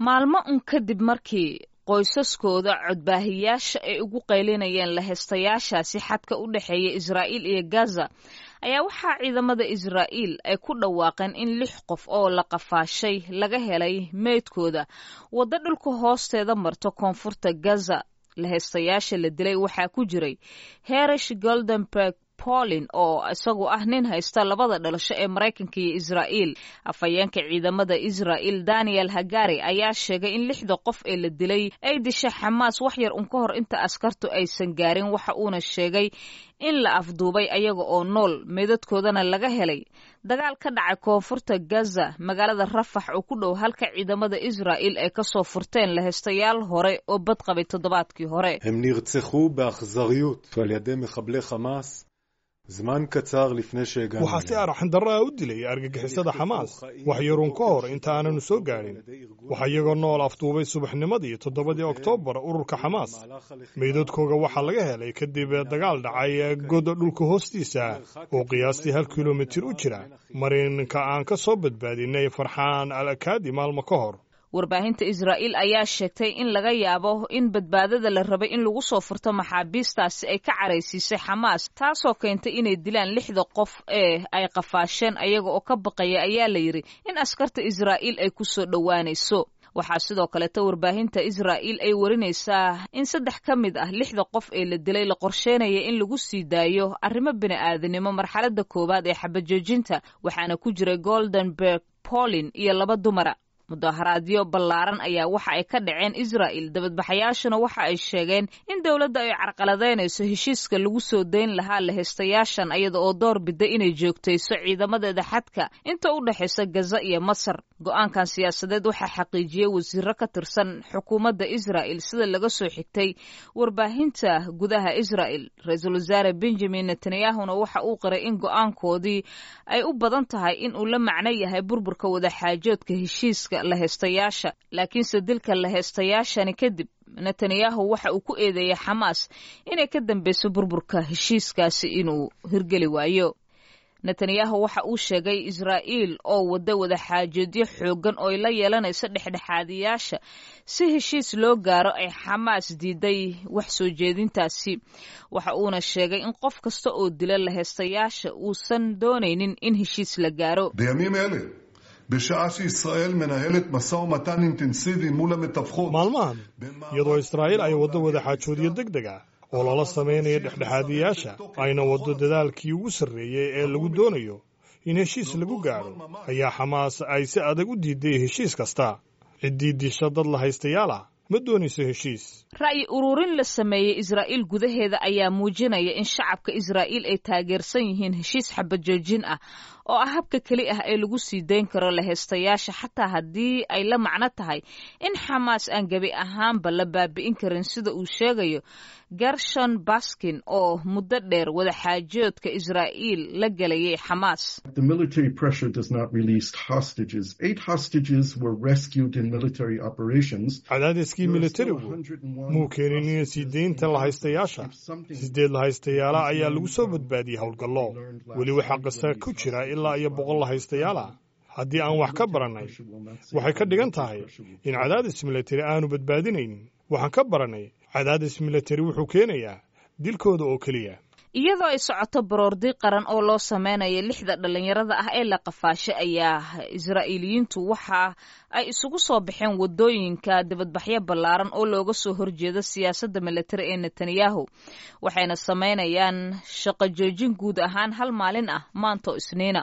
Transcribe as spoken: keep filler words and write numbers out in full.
Maalmo un kadib markii qoysaskooda codbaahiyaasha ay ugu qaylinayeen laheystayaashaasi xadka u dhexeeya Israa'iil iyo Gaza, ayaa waxaa ciidamada Israa'iil ay ku dhawaaqeen in lix qof oo la qafaashay laga helay meydkooda waddo dhulka hoosteeda marto koonfurta Gaza. Laheystayaasha la dilay waxaa ku jiray Herish Goldenberg Polin, oo isagu ah nin haysta labada dhalasho ee Maraykanka iyo Israa'iil. Afhayeenka ciidamada Israa'iil Daniel Hagari ayaa sheegay in lixda qof ee la dilay ay dishay Xamaas wax yar un ka hor inta askartu aysan gaarin. Waxa uuna sheegay in la afduubay ayaga oo nool, meydadkoodana laga helay dagaal ka dhacay koonfurta Gaza, magaalada Rafax oo ku dhow halka ciidamada Israa'iil ay kasoo furteen laheystayaal hore oo badqabay toddobaadkii hore. הם נרצחו באכזריות על ידי מחבלי חמאס זמן קצר לפני שהגענו. Waxaa si arxandarro ah u dilay argagixisada Xamaas wax yaruun ka hor inta aananu soo gaadhin. Waxaa iyagoo nool afduubay subaxnimadii toddobadii Oktoobar ururka Xamaas. Meydadkooga waxaa laga helay kadib dagaal dhacay god dhulka hoostiisa oo qiyaastii hal kilomitir u jira marinka aan ka soo badbaadinay Farxaan al Akaadi maalmo ka hor. Warbaahinta Israa'iil ayaa sheegtay in laga yaabo in badbaadada la rabay in lagu soo furto maxaabiistaasi ay ka caraysiisay Xamaas, taasoo keentay inay dilaan lixda qof ee ay qafaasheen, ayaga oo ka baqaya, ayaa la yidhi, in askarta Israa'iil ay ku soo dhowaanayso. Waxaa sidoo kaleeta warbaahinta Israa'iil ay warinaysaa in saddex ka mid ah lixda qof ee la dilay la qorsheynaya in lagu sii daayo arrimo bini'aadanimo marxaladda koowaad ee xabajoojinta, waxaana ku jiray Goldenberg Polin iyo laba dumara. Mudaharaadyo ballaaran ayaa waxa ay ka dhaceen Israa'il. Dabadbaxayaashuna waxa ay sheegeen in dowladda ay carqaladeynayso heshiiska lagu soo dayn lahaa laheystayaashan, iyada oo door bida inay joogtayso ciidamadeeda xadka inta u dhexaysa Gaza iyo Masar. Go'aankan siyaasadeed waxaa xaqiijiyey wasiiro ka tirsan xukuumadda Israa'il, sida laga soo xigtay warbaahinta gudaha Israa'il. Ra-iisul Wasaare Benjamin Netanyahuna waxa uu qiray in go'aankoodii ay u badan tahay in uu la macno yahay burburka wadaxaajoodka heshiiska laheystayaasha. Laakiinse dilka laheystayaashani kadib, Netanyahu waxa uu ku eedeeyey Xamaas inay ka dambeyso burburka heshiiskaasi inuu hirgeli waayo. Netanyahu waxa uu sheegay Israa'iil oo wadda wadaxaajoodyo xooggan oo ay la yeelanayso dhexdhexaadiyaasha si heshiis loo gaaro ay Xamaas diiday wax soo jeedintaasi. Waxa uuna sheegay in qof kasta oo dila laheystayaasha uusan doonaynin in heshiis la gaaro. בימים אלה, בשעה שישראל מנהלת משא ומתן אינטנסיבי מול המתווכות, Maalmahan, iyadoo Israa'iil ay waddo wadaxaajoodyo deg deg ah oo lala samaynayo dhexdhexaadiyaasha, ayna waddo dadaalkii ugu sarreeyey ee lagu doonayo in heshiis lagu gaadho, ayaa Xamaas ay si adag u diiday heshiis kasta. Ciddii disha dad la haystayaal ah ma doonayso heshiis. Ra'yi ururin la sameeyey Israa'iil gudaheeda ayaa muujinaya in shacabka Israa'iil ay taageersan yihiin heshiis xabajoojin ah, oo ah habka keli ah ee lagu sii dayn karo laheystayaasha, xataa haddii ay la macno tahay in Xamaas aan gebi ahaanba la baabi'in karin, sida uu sheegayo Gershon Baskin, oo muddo dheer wadaxaajoodka Israa'iil la gelayay Xamaas. The military pressure does not release hostages. Eight hostages were rescued in military operations. Cadaadiskii militarigu muu keenin in sii deynta lahaystayaasha. Sideed lahaystayaala ayaa lagu soo badbaadiyey howlgallo. Weli waxaa Qasa ku jira ilaa iyo boqol lahaystayaal ah. Haddii aan wax ka barannay, waxay ka dhigan tahay in cadaadis militari aanu badbaadinaynin. Waxaan ka barannay, cadaadis militari wuxuu keenayaa dilkooda oo keliya. Iyadoo ay socoto baroordi qaran oo loo sameynayo lixda dhallinyarada ah ee la qafaashay, ayaa Israa'iiliyiintu waxa ay isugu soo baxeen wadooyinka dibadbaxyo ballaaran oo looga soo horjeedo siyaasadda militari ee Netanyahu, waxayna sameynayaan shaqo joojin guud ahaan hal maalin ah maanta oo Isniina.